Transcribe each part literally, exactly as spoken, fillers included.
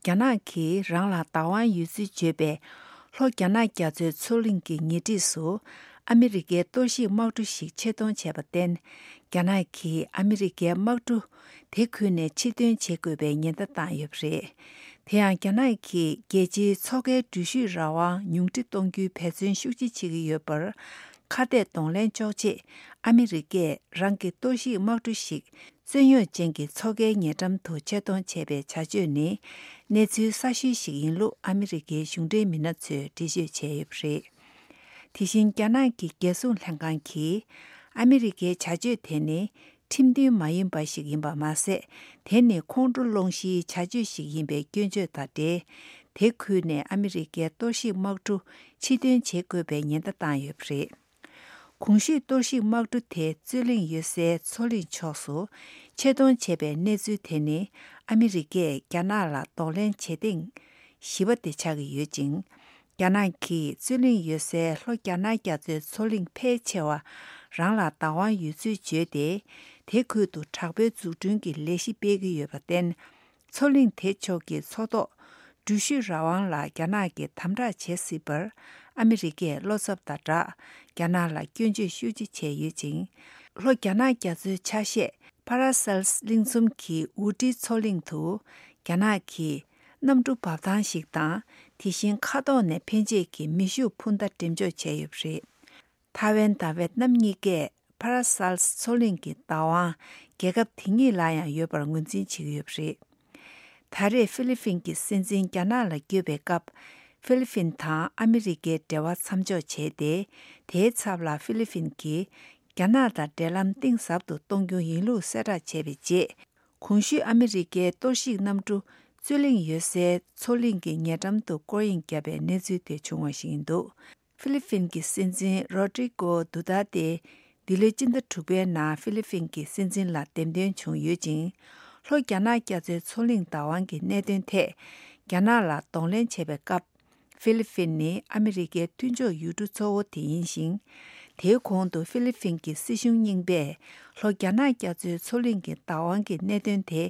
རྒྱ་ནག་གིས་རང་ལ་བདག་དབང་ཡོད་ཚུལ་བརྗོད་པའི་ལྷོ་རྒྱ་ནག་རྒྱ་མཚོའི་མཚོ་གླིང་གི་ཉེ་འཁྲིས་སུ་ཨ་མི་རི་ཀའི་གཏོར་བཤིག་དམག་གྲུ་ཞིག་ཆེད་གཏོང་བྱས་པར་བརྟེན། རྒྱ་ནག་གིས་ཨ་མི་རི་ཀའི་དམག་གྲུ་དེ་ཁུལ་ནས་ཕྱིར་འདོན་བྱེད་དགོས་པའི་ཉེན་བརྡ་བཏང་ཡོད་པ་རེད། དེ་ཡང་རྒྱ་ནག་གིས་རྒྱལ་སྤྱིའི་མཚོ་ཁའི་འགྲུལ་བཞུད་རང་དབང་ཉུང་འཕྲི་གཏོང་རྒྱུའི་འབད་བརྩོན་ཤུགས་ཆེ་བྱེད་ཀྱི་ཡོད་པར། ཁ་གཏད་གདོང་ལེན་གཅོག་ཆེད་ཨ་མི་རི་ཀས་རང་གི་གཏོར་བཤིག་དམག་གྲུ་ཞིག་རྩོད་རྙོག་ཅན་གྱི་མཚོ་ཁའི་ཉེ་འགྲམ་དུ་ཆེད་གཏོང་བྱས་པའི་བྱ་སྤྱོད་ནི། གནས་ཚུལ་གསར་ཤོས་ཤིག་ཡིན་ལུགས་ཨ་མི་རི་ཀའི་གཞུང་འབྲེལ་མི་སྣ་ཚོས་འགྲེལ་བརྗོད་བྱས་ཡོད་པ་རེད། དེ་བཞིན་རྒྱ་ནག་གི་རྒྱལ་སྲུང་ལྷན་ཁང་གིས། ཨ་མི་རི་ཀའི་བྱ་སྤྱོད་དེ་ནི། ཁྲིམས་མཐུན་མ་ཡིན་པ་ཞིག་ཡིན་པ་མ་ཟད། དེ་ནི་ཁོང་ཁྲོ་སློང་གཞིའི་བྱ་སྤྱོད་ཞིག་ཡིན་པའི་སྐྱོན་བརྗོད་དང་འབྲེལ། དེ་ཁུལ་ནས་ཨ་མི་རི་ཀའི་གཏོར་བཤིག་དམག་གྲུ་ཕྱིར་འདོན་བྱེད་དགོས་པའི་ཉེན་བརྡ་བཏང་ཡོད་པ་རེད། གོང་ཞུས་གཏོར་བཤིག་དམག་གྲུ་དེ་རྩོད་གླེང་ཡོད་སའི་མཚོ་གླིང་ཕྱོགས་སུ་ཆེད་གཏོང་བྱས་པའི་གནས་ཚུལ་དེ་ནི། ཨ་མི་རི་ཀས་རྒྱ་ནག་ལ་གདོང་ལེན་བྱེད་ཐེངས་བཞི་པ་དེ་ཆགས་ཀྱི་ཡོད་ཅིང་། རྒྱ་ནག་གིས་རྩོད་གླེང་ཡོད་སའི་ལྷོ་རྒྱ་ནག་རྒྱ་མཚོའི་མཚོ་གླིང་ཕལ་ཆེ་བ་རང་ལ་བདག་དབང་ཡོད་ཚུལ་བརྗོད་དེ། དེ་ཁུལ་དུ་དྲག་པོའི་འཛུགས་སྐྲུན་གྱི་ལས་གཞི་སྤེལ་གྱི་ཡོད་པར་བརྟེན། མཚོ་གླིང་དེ་ཕྱོགས་ཀྱི་མཚོ་ཐོག་འགྲུལ་བཞུད་རང་དབང་ལ་རྒྱ་ནག་གིས་དམ་དྲག་བྱེད་སྲིད་པར་ཨ་མི་རི་ཀས་བློ་འཚབ་དང་སྦྲགས། རྒྱ་ནག་ལ་སྐྱོན་བརྗོད་ཤུགས་ཆེ་བྱས་ཡོད་ཅིང་། ལྷོ་རྒྱ་ནག་རྒྱ་མཚོའི་ཆ་ཤས་ཕ་ར་སེལ་གླིང་ཚོམ་གྱི་ཝུ་ཏི་མཚོ་གླིང་དུ་རྒྱ་ནག་གིས་གནམ་གྲུ་འབབ་ཐང་ཞིག་དང་། དེ་བཞིན་མཁའ་ཐོག་ནས་འཕེན་བྱེད་ཀྱི་མེ་ཤུགས་འཕུར་མདའ་འགྲེམས་འཇོག་བྱས་ཡོད་པ་རེད། ཐའེ་ཝན་དང་ཝེད་ནམ་གཉིས་ཀས་ཕ་ར་སེལ་མཚོ་གླིང་གི་བདག་དབང་རྒྱལ་ཁབ་དེ་གཉིས་ལ་ཡང་ཡོད་པར་ངོས་འཛིན་བྱེད་ཀྱི་ཡོད་པ་རེད། ད་རེས་ཧྥི་ལི་ཕིན་གྱི་སྲིད་འཛིན་རྒྱ་ནག་ལ་བསྐྱོད་པའི་སྐབས། ཧྥི་ལི་ཕིན་དང་ཨ་མི་རི་ཀའི་འབྲེལ་བ་མཚམས་འཇོག་བྱས་ཏེ། དེའི་ཚབ་ལ་ཧྥི་ལི་ཕིན་གྱིས་རྒྱ་ནག་དང་འབྲེལ་ལམ་གཏིང་ཟབ་ཏུ་གཏོང་རྒྱུ་ཡིན་ལུགས་གསལ་བསྒྲགས་བྱས་པའི་རྗེས། གོང་ཞུས་ཨ་མི་རི་ཀའི་གཏོར་བཤིག་གནམ་གྲུ་རྩོད་གླེང་ཡོད་སའི་མཚོ་གླིང་གི་ཉེ་འགྲམ་དུ་སྐོར་གཡེང་བརྒྱབ་པའི་གནས་ཚུལ་དེ་བྱུང་བ་ཞིག་ཡིན་འདུག་ཧྥི་ལི་ཕིན་གྱི་སྲིད་འཛིན་རོ་ཏྲི་ཀོ་དུ་ཏར་ཏེ་འདི་ལོའི་སྤྱི་ཟླ་དྲུག་པའི་ནང་ཧྥི་ལི་ཕིན་གྱི་སྲིད་འཛིན་ལ་འདེམས་ཐོན་བྱུང་ཡོད་ཅིང་། ལྷོ་རྒྱ་ནག་རྒྱ་མཚོའི་མཚོ་གླིང་བདག་དབང་གི་གནད་དོན་ཐད་རྒྱ་ནག་ལ་གདོང་ལེན་བྱས་པའི་སྐབས། ཧྥི་ལི་ཕིན་ནི་ཨ་མི་རི་ཀའི་མཐུན་ཕྱོགས་ཡུལ་གྲུ་གཙོ་བོ་དེ་ཡིན་ཞིང་། དེའི་གོང་དུ་ཧྥི་ལི་ཕིན་གྱི་སྲིད་གཞུང་རྙིང་པས་ལྷོ་རྒྱ་ནག་རྒྱ་མཚོའི་མཚོ་གླིང་གི་བདག་དབང་གི་གནད་དོན་དེ་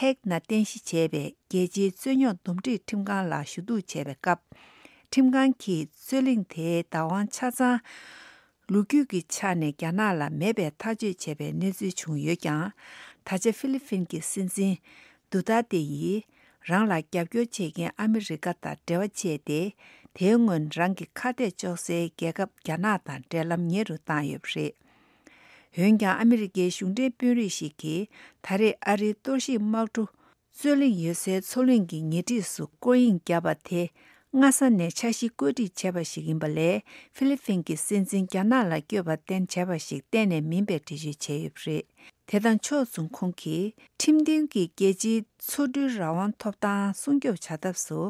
ཧེག་ནང་རྟེན་གཞི་བྱས་པའི་རྒྱལ་སྤྱིའི་རྩོད་རྙོག་འདུམ་འགྲིག་ཁྲིམས་ཁང་ལ་ཞུ་གཏུག་བྱས་པའི་སྐབས། ཁྲིམས་ཁང་གིས་རྩོད་གླེང་དེའི་བདག་དབང་ཆ་ཚང་ལོ་རྒྱུས་ཀྱི་ཆ་ནས་རྒྱ་ནག་ལ་མེད་པའི་ཐག་གཅོད་བྱས་པའི་གནས་ཚུལ་བྱུང་ཡོད་ཀྱང་། ད་ཆ་ཧྥི་ལི་ཕིན་གྱི་སྲིད་འཛིན་དུ་ཏར་ཏེ་ཡིས་རང་ལ་རྒྱབ་སྐྱོར་བྱེད་མཁན་ཨ་མི་རི་ཀ་དང་འབྲེལ་བ་བཅད་དེ། དེའི་སྔོན་རང་གི་ཁ་གཏད་གཅོག་སའི་རྒྱལ་ཁབ་རྒྱ་ནག་དང་འབྲེལ་ལམ་ཉེ་རུ་བཏང་ཡོད་པ་རེད། འོན་ཀྱང་ཨ་མི་རི་ཀའི་གཞུང་འབྲེལ་དཔོན་རིགས་ཤིག་གིས་ད་རེས་ཨ་རིའི་གཏོར་བཤིག་དམག་གྲུ་རྩོད་གླེང་ཡོད་སའི་མཚོ་གླིང་གི་ཉེ་འཁྲིས་སུ་སྐོར་གཡེང་བརྒྱབ་པ་དེ། སྔ་ས་ནས་འཆར་གཞི་བཀོད་སྒྲིག་བྱས་པ་ཞིག་ཡིན་པ་ལས། ཧྥི་ལི་ཕིན་གྱི་སྲིད་འཛིན་རྒྱ་ནག་ལ་བསྐྱོད་པར་བརྟེན་བྱས་པ་ཞིག་གཏན་ནས་མིན་པའི་འགྲེལ་བརྗོད་བྱས་ཡོད་པ་རེད། དེ་དང་ཕྱོགས་མཚུངས་ཁོང་གིས། ཁྲིམས་མཐུན་གྱི་རྒྱལ་སྤྱིའི་མཚོ་འགྲུལ་རང་དབང་ཐོབ་ཐང་སྲུང་སྐྱོབ་བྱ་ཐབས་སུ།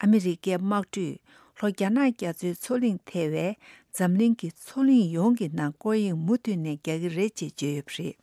ཨ་མི་རི་ཀའི་དམག་གྲུས་ལྷོ་རྒྱ་ནག་རྒྱ་མཚོའི་མཚོ་གླིང་ཐེ་བའི་འཛམ་གླིང་གི་མཚོ་གླིང་ཡོངས་ཀྱི་ནང་སྐོར་གཡེང་མུ་མཐུད་ནས་རྒྱག་གི་རེད་ཅེས་བརྗོད་ཡོད་པ་རེད།